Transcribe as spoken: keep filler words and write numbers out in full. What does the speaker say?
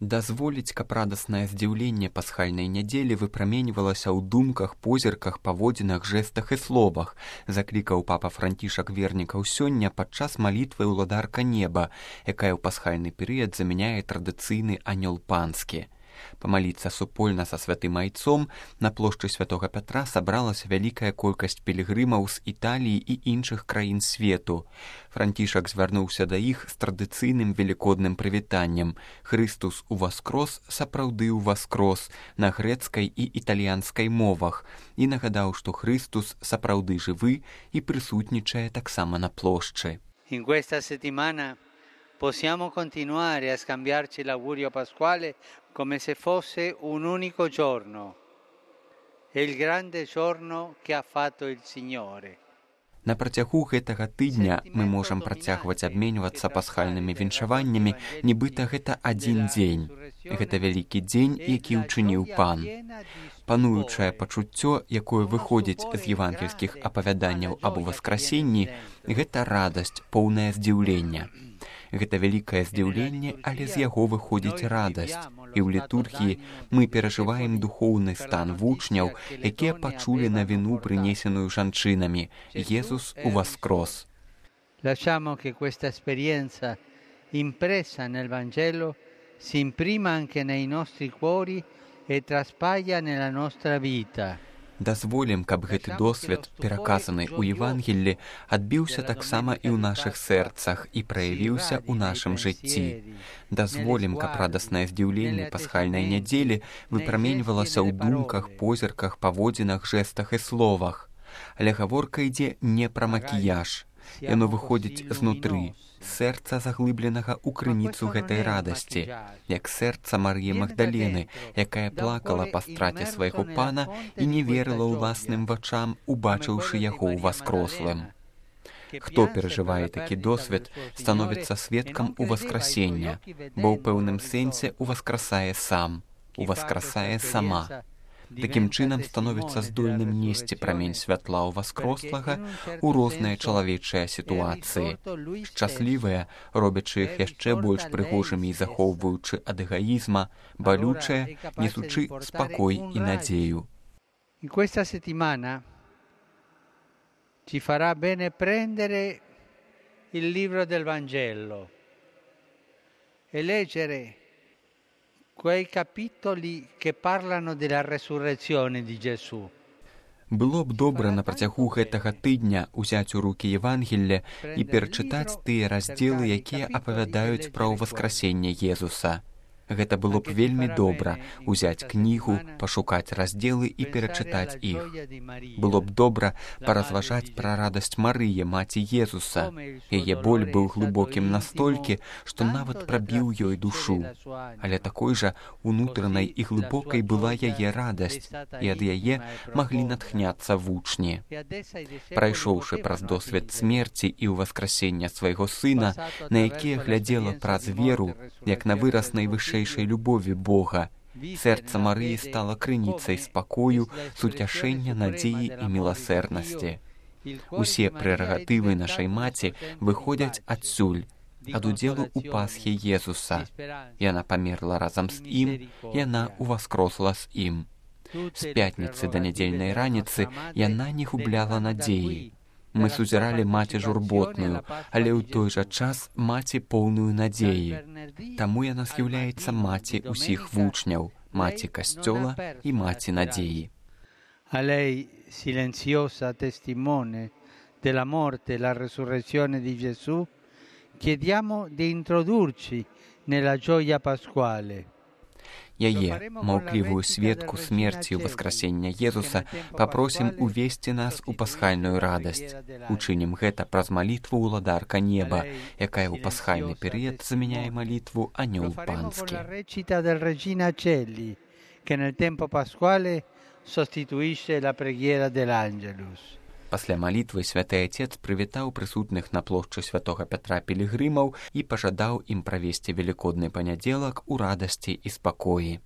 Дазволіць, каб радаснае здзіўленне пасхальнай нядзелі выпраменьвалася ў думках, позірках, паводзінах, жэстах і словах, заклікаў папа Францішак вернікаў сёння падчас малітвы ўладарка неба, якая ў пасхальны перыяд замяняе традыцыйны анёл панскі. Памаліцца супольна са святым айцом на плошчы святога Пятра сабралася вялікая колькасць пілігрымаў з Італіі і іншых краін свету. Францішак звярнуўся да іх з традыцыйным велікодным прывітаннем «Христус уваскрос, сапраўды ўваскрос» на грэцкай і італьянскай мовах і нагадаў, што Христус сапраўды жывы і прысутнічае таксама на плошчы. In questa settimana possiamo continuare a scambiarci l'augurio pasquale come se fosse un unico giorno. È il grande giorno che ha fatto il Signore. На працягу гэтага тыдня мы можам працягваць абменьвацца пасхальнымі віншаваннямі, нібыта гэта адзін дзень. Гэта вялікі дзень, які ўчыніў Пан. Пануючае пачуццё, якое выходзіць з евангельскіх апавяданняў аб уваскрасенні, гэта радасць, поўнае здзіўлення. Гэта вялікае здзіўленне, але з яго выходзіць радасць. І ў літургіі мы перажываем духоўны стан вучняў, якія пачулі навіну, прынесеную жанчынамі. Jesús уваскрос. Lasciamo che questa esperienza impressa nel Vangelo si imprima anche nei nostri cuori e traspaia nella nostra vita. Дазволім, каб гэты досвед, пераказаны ў Евангеллі, адбіўся таксама і ў нашых сэрцах і праявіўся ў нашым жыцці. Дазволім, каб радаснае здзіўленне пасхальнай нядзелі выпраменьвалася ў думках, позірках, паводзінах, жэстах і словах. Але гаворка ідзе не пра макіяж. Яно выходзіць знутры, сэрца заглыбленага ў крыніцу гэтай радасці, як сэрца Марыі Магдалены, якая плакала па страце свайго Пана і не верыла ўласным вачам, убачыўшы яго ўваскрослым. Хто перажывае такі досвед, становіцца сведкам уваскрасення, бо ў пэўным сэнсе уваскрасае сам, уваскрасае сама. Такім чынам становіцца здольным несці прамень святла ўваскрослага ў розныя чалавечыя сітуацыі, шчаслівыя, робячы іх яшчэ больш прыгожымі і захоўваючы ад эгаізма, балючыя, несучы спакой і надзею. In questa settimana ci farà bene prendere il libro del Vangelo e leggere quei capitoli che parlano della resurrezione di Gesù. Было б добра на працягу гэтага тыдня ўзяць у рукі Евангелле і перачытаць тыя раздзелы, якія апавядаюць пра ўваскрасенне Езуса. Гэта было б вельмі добра ўзяць кнігу, пашукаць раздзелы і перачытаць іх. Было б добра паразважаць пра радасць Марыі, маці Езуса. Яе боль быў глыбокім настолькі, што нават прабіў ёй душу. Але такой жа унутранай і глыбокай была яе радасць, і ад яе маглі натхняцца вучні. Прайшоўшы праз досвед смерці і ўваскрасення свайго сына, на якія глядзела праз веру, як на выраз найвышэйшай любові Бога, сэрца Марыі стала крыніцай спакою, суцяшэння, надзеі і міласэрнасці. Усе прэрагатывы нашай маці выходзяць адсюль, ад удзелу ў Пасхі Езуса. Яна памерла разам з ім, яна ўваскросла з ім. З пятніцы да нядзельнай раніцы яна не губляла надзеі. Мы сузіралі маці журботную, але ў той жа час маці поўную надзеі. Таму яна з'яўляецца маці ўсіх вучняў, маці Касцёла і маці надзеі. A lei, silenziosa testimone della morte e la resurrezione di Gesù, chiediamo di introdurci nella gioia pasquale. Яе, маўклівую сведку смерці і ўваскрасення Езуса, папросім увесці нас у пасхальную радасць. Учынім гэта праз малітву ўладарка неба, якая ў пасхальны перыяд замяняе малітву анёл панскі. Che nel tempo pasquale sostituisce la preghiera dell'Angelus. Пасля малітвы святы Отец прывітаў прысутных на плошчы святога Пятра пілігрымаў і пажадаў ім правесці велікодны панядзелак у радасці і спакоі.